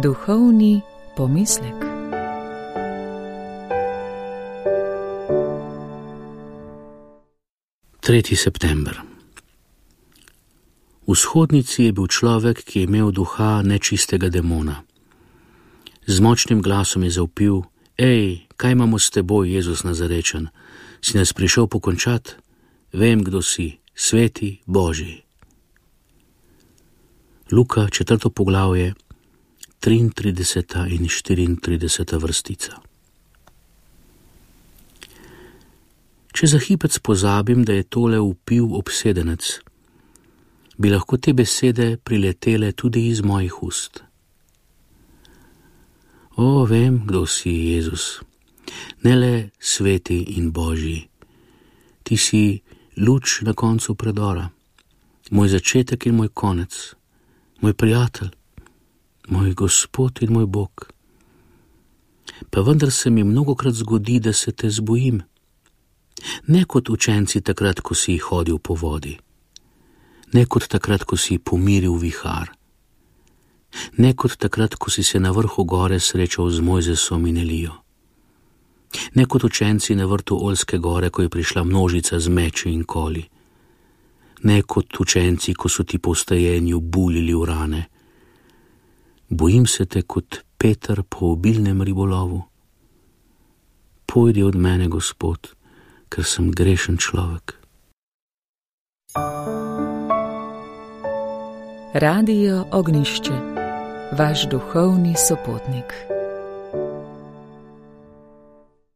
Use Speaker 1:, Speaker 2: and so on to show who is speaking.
Speaker 1: Duhovni pomislek.
Speaker 2: Tretji september. V shodnici je bil človek, ki je imel duha nečistega demona. Z močnim glasom je zavpil: Ej, kaj imamo s teboj, Jezus Nazarečan? Si nas prišel pokončat? Vem, kdo si, sveti Božji. Luka, 4. poglavje, 33. in 34. vrstica. Če za hipec pozabim, da je tole vpil obsedenec, bi lahko te besede priletele tudi iz mojih ust. O, vem, kdo si, Jezus, ne le sveti in Božji. Ti si luč na koncu predora, moj začetek in moj konec, moj prijatelj, moj Gospod in moj Bog. Pa vendar se mi mnogokrat zgodi, da se te zbojim. Ne kot učenci takrat, ko si hodil po vodi, ne kot takrat, ko si pomiril vihar, ne kot takrat, ko si se na vrhu gore srečal z Mojzesom in Elijo, ne kot učenci na vrtu Oljske gore, ko je prišla množica z meči in koli, ne kot učenci, ko so ti po vstajenju buljili v rane. Bojim se te kot Peter po obilnem ribolovu. Pojdi od mene, Gospod, ker sem grešen človek.
Speaker 1: Radio Ognišče, vaš duhovni sopotnik.